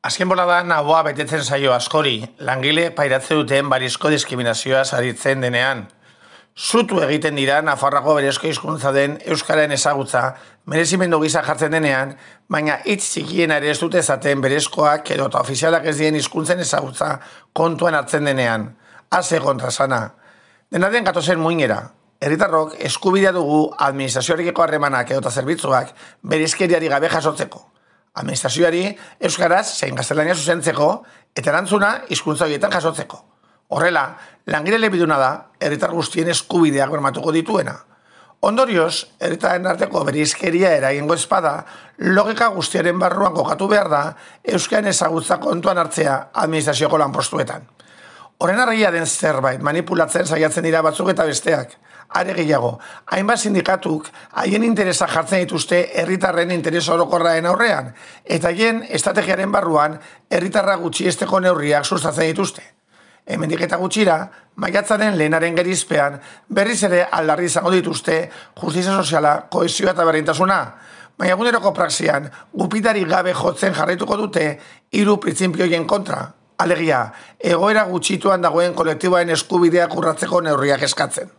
Azken boladan ahoa betetzen zaio askori, langile pairatze duten barizko diskriminazioa saritzen denean. Zutu egiten dira Nafarroako berezko hizkuntza den Euskararen ezagutza, merezimendu gisa jartzen denean, baina hitz txikiena ere ez dute esaten berezkoak edo eta ofizialak ez dien hizkuntzen ezagutza kontuan hartzen denean. Haze kontrasana. Dena den gatozen muinera. Herritarrok eskubidea dugu administrazioarekiko harremanak edo eta zerbitzuak berizkeriari gabe jasotzeko. Administrazioari euskaraz zein gaztelania zuzentzeko eta erantzuna hizkuntza horietan jasotzeko. Horrela, langile elebiduna da herritar guztien eskubideak bermatuko dituena. Ondorioz, herritaren arteko bereizkeria eragingo ezpada, logika guztiaren barruan kokatu behar da euskaren ezagutza kontuan hartzea administrazioko lanpostuetan. Horren argia den zerbait manipulatzen saiatzen dira batzuk eta besteak. Are gehiago, hainbat sindikatuk haien interesa jartzen dituzte herritarren interes orokorraren aurrean, eta haien estrategiaren barruan herritarra gutxiesteko neurriak sustatzen dituzte. Hemendik eta gutxira, maiatzaren lehenaren gerizpean berriz ere aldarri izango dituzte justizia soziala, kohesioa eta berdintasuna, baina eguneroko praxian gupitari gabe jotzen jarraituko dute 3 printzipioien kontra. Alegia, egoera gutxituan dagoen kolektiboaren eskubideak urratzeko neurriak eskatzen.